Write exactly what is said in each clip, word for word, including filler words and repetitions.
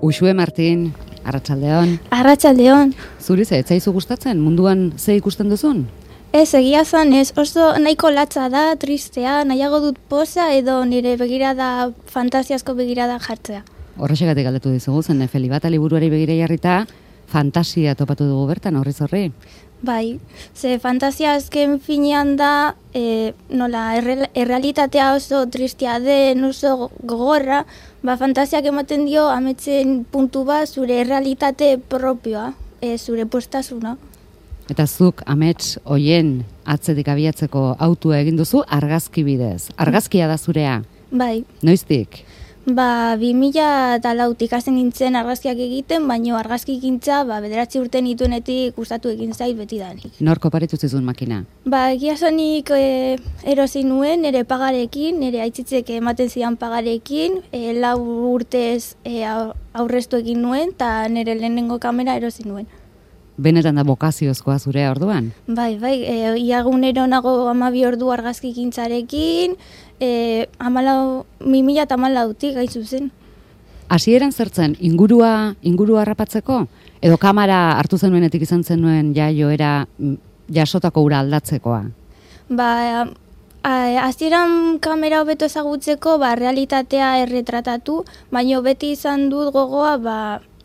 Uxue Martin, arratsaldeon. Arratsaldeon. Zuri ze, ez zaizu gustatzen munduan ze ikusten duzun? Ez, egia zan ez, oso nahiko latza da, tristea, nahiago dut poza edo nire begirada, fantasiazko begirada jartzea. Horrexegatik galdetu dizugu, zen Nefeli bat liburuari begira jarrita, fantasia topatu dugu bertan, horriz horri. Bai, ze fantasia azken finean da, e, nola, erre, errealitatea oso tristea den, oso gogorra, ba, fantasiak ematen dio ametzen puntu bat zure errealitate propioa, e, zure postasuna. Eta zuk amets hoien atzetik abiatzeko autua egin duzu argazki bidez. Argazkia da zurea? Bai. Noiztik? Ba, bi mila eta lautik hasten nintzen argazkiak egiten, baino argazki gintza, ba, bederatzi urte nituenetik gustatu egin zait betidanik. Nor koparitu zizun makina? Ba, egia zanik e, erosi nuen, nire pagarekin, nire aitzitzek ematen zidan pagarekin, e, lau urtez e, aurreztu egin nuen, eta nire lehenengo kamera erosi nuen. Benetan da bokaziozkoa zurea orduan? Bai, bai, e, iagunero nago amabi ordu argazki gintzarekin, e, amalau, mi mila eta amalautik gaizu zen. Hasieran zertzen, ingurua, ingurua harrapatzeko? Edo kamera hartu zenuenetik izan zenuen ja joera jasotako ura aldatzekoa? Ba, hasieran kamera hobeto ezagutzeko, ba, realitatea erretratatu, baina beti izan dut gogoa, ba,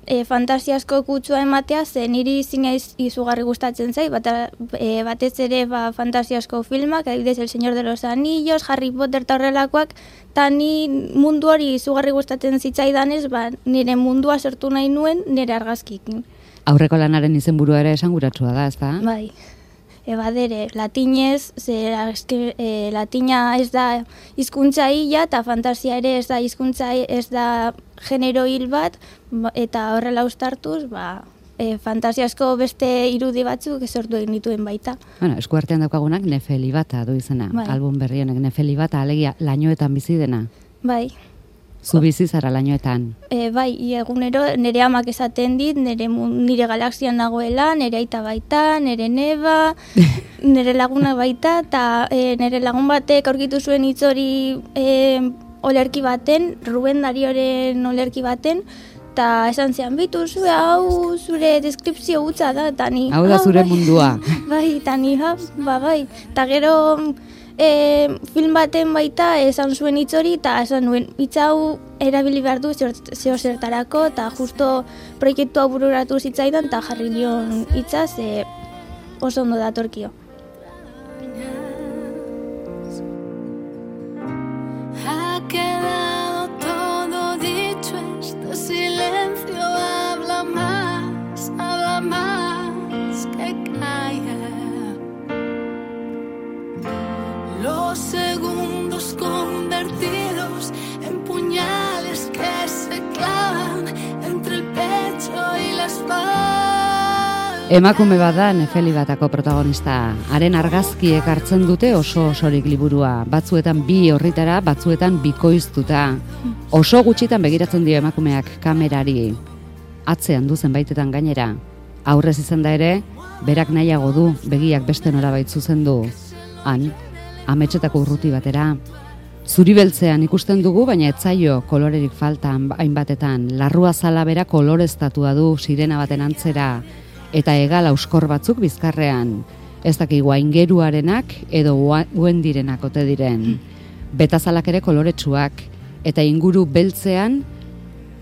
E, fantasiasko kutsua ematea, ze niri zinez izugarri gustatzen zait, bata, e, batez ere ba, fantasiasko filmak, adibidez El Señor de los Anillos, Harry Potter eta horrelakoak, eta ni mundu hori izugarri gustatzen zitzaidanez, ba, nire mundua sortu nahi nuen nire argazkikin. Aurreko lanaren izenburua ere esanguratsua da, ez da? Bai. Ebadere, latinez, ze e, latina ez da hizkuntza hila eta fantasia ere ez da hizkuntza ez da genero hil bat, eta horrela uztartuz, ba, e, fantasiasko beste irudi batzuk sortu egin dituen baita. Bueno, eskuartean daukagunak Nefeli bata du izena, bai. Album berri honek Nefeli bata alegia lainoetan bizi dena. Bai. Zu bizi zara lainoetan? E, bai, egunero nire amak esaten dit, nire, nire galaxian nagoela, nire aita baita, nire neba, nire laguna baita, eta e, nire lagun batek aurkitu zuen hitz hori e, olerki baten, Ruben Darioren olerki baten, eta esan zean, bitu zure hau zure deskripzio hutsa da, eta ni... Hau da zure bai, mundua. Bai, eta ni, ha, ba, bai, eta gero... E, film baten baita esan zuen hitz hori eta esan nuen hitz hau erabili behar du zeo zertarako eta justo proiektua bururatu zitzaidan eta jarri nion hitza ze oso ondo datorkio. Ha quedado todo dicho, este silencio habla más, habla más que calla. Los segundos convertidos en puñales que se clavan entre el pecho y la espalda. Emakume bat da Nefeli batako protagonista. Haren argazkiek hartzen dute oso osorik liburua. Batzuetan bi horritara, batzuetan bikoiztuta. Oso gutxitan begiratzen dio emakumeak kamerari. Atzean du zenbaitetan gainera. Aurrez izan da ere, berak nahiago du begiak beste norabait zuzendu. Han, ametsetako urruti batera. Zuri beltzean ikusten dugu, baina etzaio kolorerik faltan hainbatetan. Larrua zala bera koloreztatua du sirena baten antzera, eta hegal auskor batzuk bizkarrean. Ez dakigu aingeruarenak edo uendirenak ote diren. Betazalak ere koloretsuak, eta inguru beltzean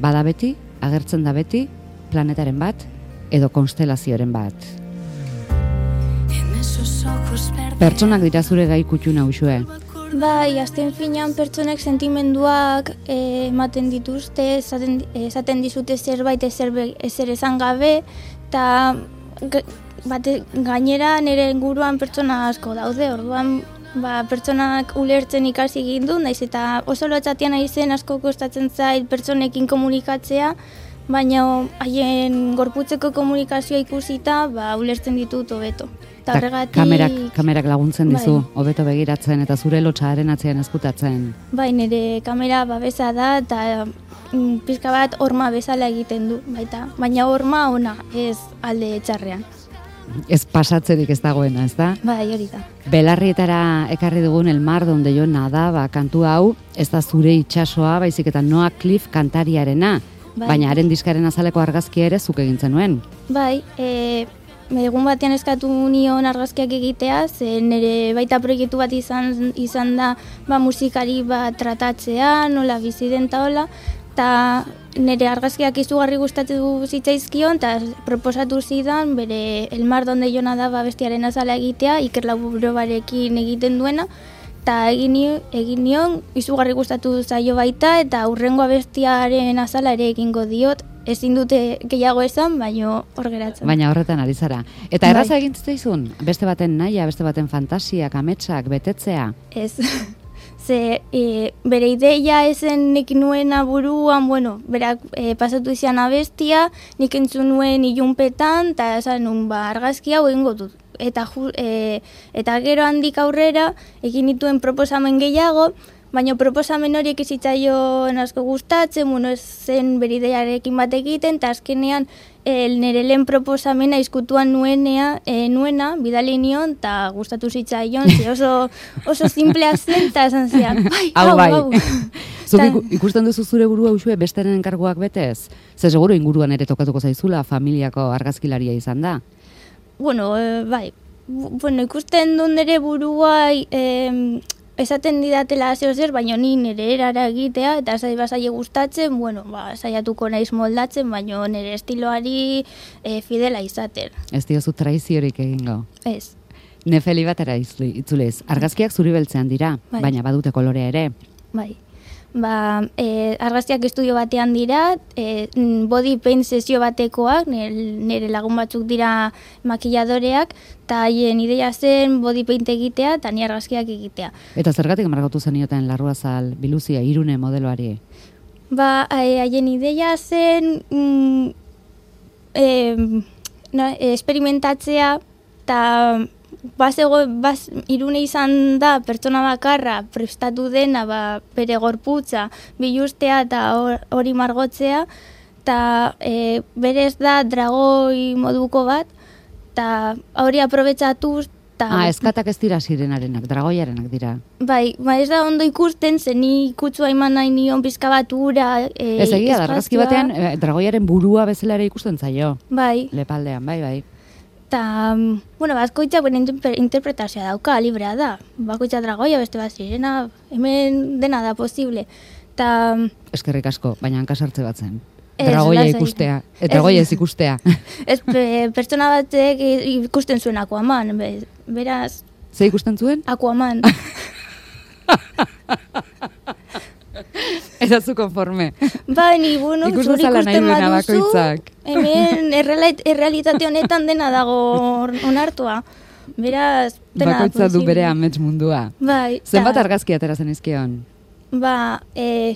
bada beti, agertzen da beti, planetaren bat edo konstelazioaren bat. Pertsonak dira zure gai kutxuna Uxue. Bai, azken finean pertsonek sentimenduak e, ematen dituzte, esaten, esaten dizute zerbait ezer, ezer esan gabe, eta gainera nire inguruan pertsona asko daude, orduan ba, pertsonak ulertzen ikasi egin du, naiz eta oso lotxatian aizen asko kostatzen zait pertsonekin komunikatzea, baina haien gorputzeko komunikazioa ikusita, ba, ulertzen ditut hobeto. Ta kamerak, kamerak laguntzen dizu, hobeto bai. Begiratzen eta zure lotxaren atzean ezkutatzen. Bai, nire kamera babesa da eta mm, pizka bat horma bezala egiten du, baita. Baina horma ona, ez alde txarrean. Ez pasatzerik ez dagoena, ez da? Bai, hori da. Belarrietara ekarri dugun El mar donde yo nadaba kantu hau, ez da zure itsasoa, baizik eta Noah Cliff kantariarena. Bai. Baina haren diskaren azaleko argazkia ere zuk egin zenuen. Bai, e, egun batean eskatu nion argazkiak egitea, ze nire baita proiektu bat izan, izan da ba, musikari bat tratatzea, nola bizi den ta hola, eta nire argazkiak izugarri gustatu zitzaizkion, eta proposatu zidan bere El Mar Donde Jona da ba, bestiaren azala egitea, Iker Laburobarekin egiten duena, eta egin, egin nion, izugarri gustatu zaio baita, eta hurrengo abestiaren azala ere egingo diot, ezin dute gehiago esan, baina hor geratzen. Baina horretan ari zara. Eta erraza egin zitzaizun? Beste baten naia, beste baten fantasiak, ametsak, betetzea? Ez. Ze e, bere ideia ezen nik nuena buruan, bueno, berak e, pasatu izan abestia, nik entzun nuen ilunpetan, eta esan nun ba, argazkia hau egingo dut. Eta, ju, e, eta gero handik aurrera egin dituen proposamen gehiago, baina proposamen horiek izitzaion asko gustatzen, bueno, ez zen bere ideiarekin bat egiten, eta azkenean el nire lehen proposamena izkutuan nuenea, e, nuena, bidali nion, eta gustatu zitzaion, ze oso, oso simplea zen, eta esan zian, bai, hau, hau, bai. hau. Zuk ikusten duzu zure burua usue besteren enkarguak betez? Ze seguro inguruan ere tokatuko zaizula familiako argazkilaria izan da? Bueno, e, bai, bueno, ikusten dut nire burua, e, esaten didatela zeo zer, baina ni nire erara egitea, eta zai bazaile gustatzen, bueno, ba, saiatuko naiz moldatzen, baina nire estiloari e, fidela izaten. Ez diozu traiziorik egingo? Ez. Nefeli batera itzulez. Argazkiak zuri beltzean dira, Bai. baina badute kolorea ere. Bai. Ba, e, argazkiak estudio batean dira, e, body paint sesio batekoak, nire lagun batzuk dira makilladoreak, eta haien ideia zen body paint egitea eta ni argazkiak egitea. Eta zergatik margotu zenioten Larruazal Biluzia Irune modeloari? Ba, haien ideia zen mm, e, no, esperimentatzea, eta Bazego, baz, Irune izan da pertsona bakarra prestatu dena ba, bere gorputza biluztea eta hori margotzea, eta e, berez da dragoi moduko bat, eta hori aprobetxatuz. Ah, eskatak ez dira sirenarenak, dragoiarenak dira. Bai, ba ez da ondo ikusten, zen ni kutsua eman nahi nion pizka bat ura, e, ez egia, da, argazki batean e, dragoiaren burua bezala ere ikusten zaio. Bai. Lepaldean, bai, bai. Eta, bueno, bakoitzak bere interpretazioa dauka, librea da. Bakoitza dragoia, beste bat sirena, hemen dena da posible. Ta, eskerrik asko, baina hankasartze bat zen. Dragoia ikustea, e, dragoia ez ikustea. Ez, pertsona batek ikusten zuen Aquaman, beraz... Ze ikusten zuen? Aquaman. Eta zu konforme. Ba, ni, bueno, ikusten zala nahi duena bakoitzak. Hemen errealitate honetan dena dago onartua. Beraz, dena bakoitza du bere amets mundua. Bai. Zenbat argazki atera zen izkion? Ba, e,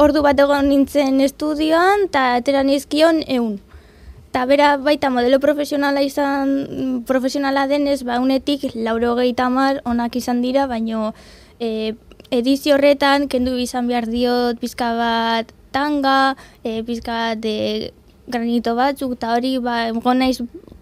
ordu bat egon nintzen estudioan, eta atera nizkion eun. Eta bera baita modelo profesionala izan, profesionala denez, ba, unetik lauro gehieta mar onak izan dira, baino e, edizio horretan, kendu izan behar diot pizka bat tanga, e, pizka bat de granito batzuk, eta hori, ba, gonaiz,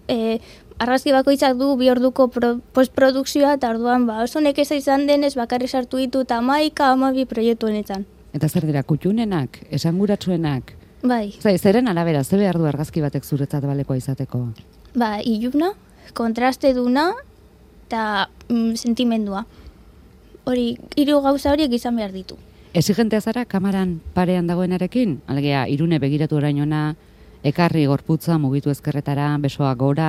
e, argazki bakoitzak du bi orduko pro, postprodukzioa, eta orduan, ba, oso nekeza izan denez, bakarri sartu ditu eta hamaika, hamabi proiektu honetan. Eta zer dira, kutxunenak, esanguratsuenak? Bai. Zai, zeren arabera, ze behar du argazki batek zuretzat balekoa izateko? Ba, iluna, kontraste duna, eta mm, sentimendua. Hori, hiru gauza horiek izan behar ditu. Exigentea zara kamaran parean dagoenarekin? Alegia, Irune begiratu orainona, ekarri gorputza, mugitu ezkerretara, besoa gora?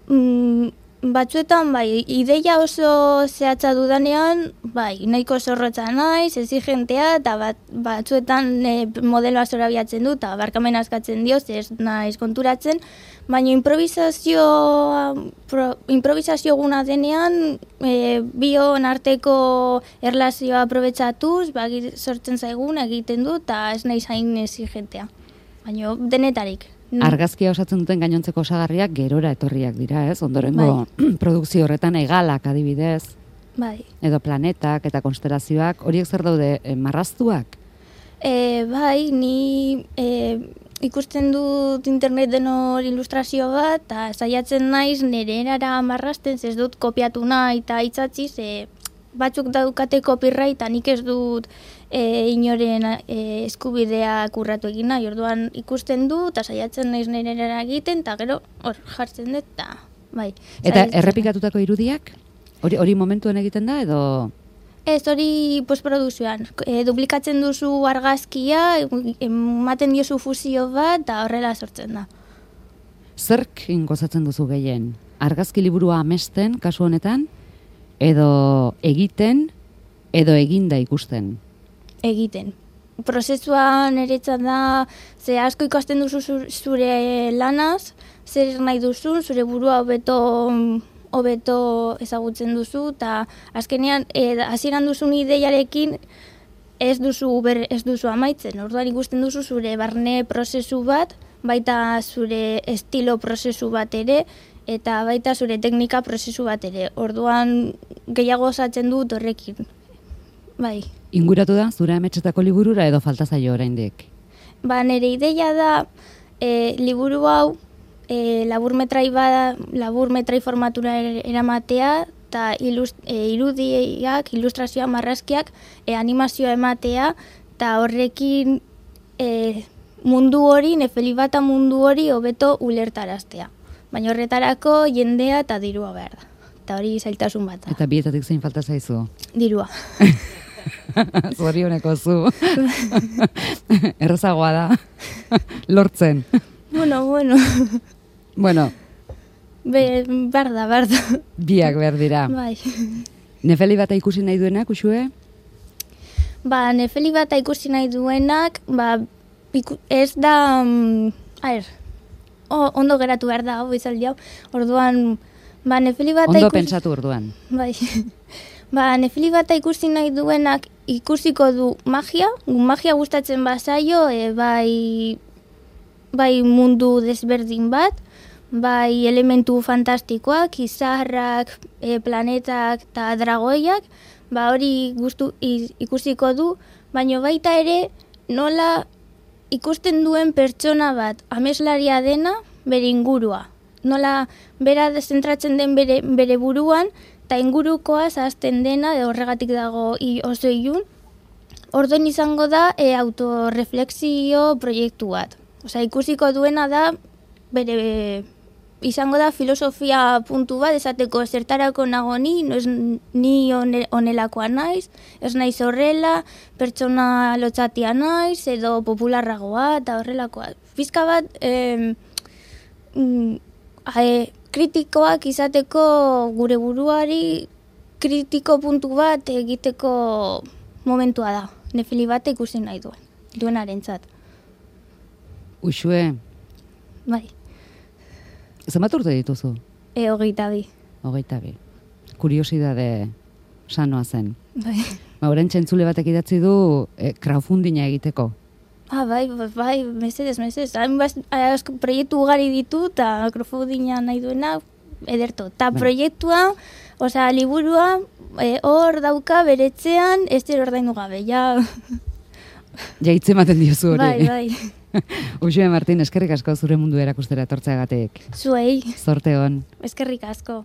Mm, batzuetan, bai, ideia oso zehatza dudanean, bai, nahiko zorrotza naiz, exigentea, eta bat, batzuetan e, modeloa zorabiatzen du, eta barkamen askatzen dio, ez naiz konturatzen, baina improvisazio, pro, improvisazio guna denean, e, bion arteko erlazioa aprobetsatuz, ba, sortzen zaigun egiten du, eta ez naiz hain exigentea. Baina denetarik. Argazkia osatzen duten gainontzeko osagarriak gerora etorriak dira, ez? Ondorengo bai. Produkzio horretan egalak adibidez. Bai. Edo planetak eta konstelazioak, horiek zer daude e, marraztuak? E, bai, ni e, ikusten dut interneten hor ilustrazio bat, eta saiatzen naiz nire erara marrazten, ez dut kopiatu nahi eta itzatzi, ze batzuk daukate copyrighta, nik ez dut e, inoren e, eskubidea kurratu egin nahi, orduan ikusten du, eta saiatzen naiz nirera egiten, eta gero hor jartzen dut, eta bai. Eta errepikatutako irudiak? Hori, hori momentuen egiten da, edo... Ez, hori postproduzioan. E, duplikatzen duzu argazkia, ematen diozu fusio bat, eta horrela sortzen da. Zerk gozatzen duzu gehien? Argazki liburua amesten, kasu honetan, edo egiten, edo eginda ikusten? Egiten. Prozesuan niretzat da, ze asko ikasten duzu zure lanaz, zer nahi duzun, zure burua hobeto hobeto ezagutzen duzu, eta azkenean, hasieran duzun ideiarekin ez duzu, ber, ez duzu amaitzen. Orduan ikusten duzu zure barne prozesu bat, baita zure estilo prozesu bat ere, eta baita zure teknika prozesu bat ere. Orduan gehiago osatzen dut horrekin. Bai. Inguratu da, zure ametsetako liburura edo falta zaio oraindik? Ba, nire ideia da, e, liburu hau, e, laburmetrai bada, laburmetrai formatura eramatea, eta ilust, e, irudiak, ilustrazioa, marrazkiak, e, animazioa ematea, eta horrekin e, mundu hori, Nefelibata mundu hori hobeto ulertaraztea. Baina horretarako jendea eta dirua behar da. Eta hori zailtasun bat da. Eta bietatik zein falta zaizu? Dirua. Zorioneko zu. Errazagoa da. Lortzen. Bueno, bueno. Bueno. Be, barda, barda. Biak behar dira. Bai. Nefelibata ikusi nahi duenak, Uxue? Ba, Nefelibata ikusi nahi duenak, ba, iku, ez da... Um, a ver, o, ondo geratu behar da, hau izaldi hau. Orduan, ba, Nefelibata ondo ikusi... pentsatu orduan. Bai. Ba, Nefelibata ikusi nahi duenak ikusiko du magia, magia gustatzen bazaio, e, bai, bai mundu desberdin bat, bai elementu fantastikoak, izarrak, e, planetak eta dragoiak, ba hori gustu ikusiko du, baina baita ere nola ikusten duen pertsona bat ameslaria dena bere ingurua. Nola bera zentratzen den bere, bere buruan, eta ingurukoa zahazten dena, horregatik dago oso ilun. Orduan izango da e, autorreflexio proiektu bat. Osea, ikusiko duena da, bere, izango da filosofia puntu bat, esateko zertarako nago ni, no ez ni onelakoa naiz, ez naiz horrela, pertsona lotxatia naiz, edo popularragoa, eta horrelakoa. Pizka bat, eh, mm, e, kritikoak izateko gure buruari kritiko puntu bat egiteko momentua da. Nefelibata ikusi nahi duen, duenarentzat. Uxue. Bai. Zenbat urte dituzu? E, hogeita bi. Hogeita bi. Kuriosidade sanoa zen. Bai. Ba, orain txentzule batek idatzi du e, crowdfundinga egiteko. Ah, bai, bai, bai, mesedez, mesedez. Hain proiektu ugari ditu, eta crowdfundinga nahi duena, ederto. Ta bai. Proiektua, osea, liburua, hor e, dauka beretzean, ez dira ordaindu gabe, ja... Ja hitz ematen diozu hori. Bai, bai. Uxue Martin, eskerrik asko zure mundu erakustera etortzeagatik. Zuei. Zorte on. Eskerrik asko.